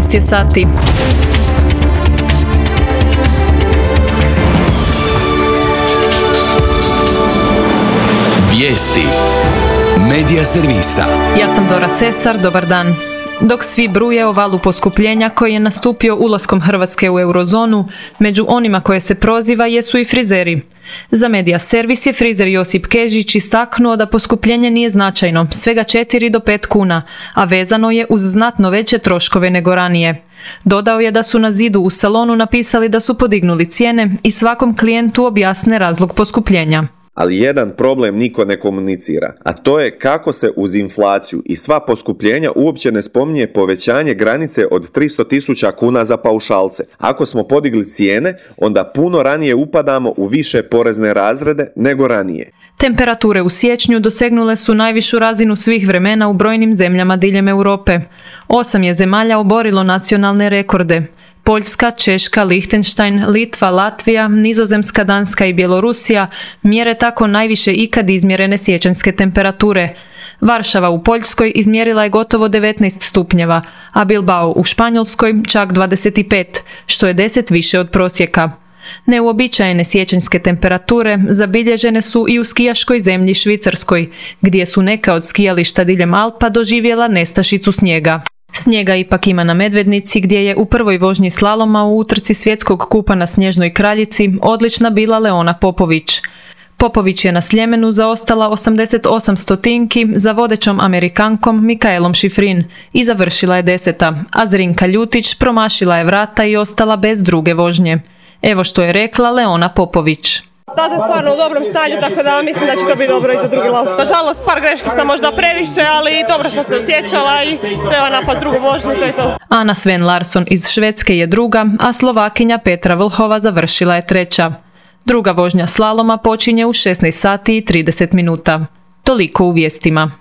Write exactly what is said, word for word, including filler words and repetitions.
šesnaest je sati. Vijesti Medija servisa. Ja sam Dora Sesar, dobar dan. Dok svi bruje o valu poskupljenja koji je nastupio ulaskom Hrvatske u eurozonu, među onima koje se proziva jesu i frizeri. Za Medija servis je frizer Josip Kežić istaknuo da poskupljenje nije značajno, svega četiri do pet kuna, a vezano je uz znatno veće troškove nego ranije. Dodao je da su na zidu u salonu napisali da su podignuli cijene i svakom klijentu objasne razlog poskupljenja. Ali jedan problem niko ne komunicira, a to je kako se uz inflaciju i sva poskupljenja uopće ne spominje povećanje granice od tristo tisuća kuna za paušalce. Ako smo podigli cijene, onda puno ranije upadamo u više porezne razrede nego ranije. Temperature u siječnju dosegnule su najvišu razinu svih vremena u brojnim zemljama diljem Europe. Osam je zemalja oborilo nacionalne rekorde. Poljska, Češka, Lihtenštajn, Litva, Latvija, Nizozemska, Danska i Bjelorusija mjere tako najviše ikad izmjerene siječanjske temperature. Varšava u Poljskoj izmjerila je gotovo devetnaest stupnjeva, a Bilbao u Španjolskoj čak dvadeset pet, što je deset više od prosjeka. Neuobičajene siječanjske temperature zabilježene su i u skijaškoj zemlji Švicarskoj, gdje su neka od skijališta diljem Alpa doživjela nestašicu snijega. Snijega ipak ima na Medvednici, gdje je u prvoj vožnji slaloma u utrci svjetskog kupa na Snježnoj kraljici odlična bila Leona Popović. Popović je na Sljemenu zaostala osamdeset osam stotinki za vodećom Amerikankom Mikaelom Šifrin i završila je deseta, a Zrinka Ljutić promašila je vrata i ostala bez druge vožnje. Evo što je rekla Leona Popović. Staza je stvarno u dobrom stanju, tako da mislim da će to biti dobro i za drugi lauf. Nažalost, par greškica možda previše, ali dobro sam se osjećala i treba napast drugu vožnju, to je to. Ana Sven Larsson iz Švedske je druga, a Slovakinja Petra Vlhova završila je treća. Druga vožnja slaloma počinje u šesnaest sati i trideset minuta. Toliko u vijestima.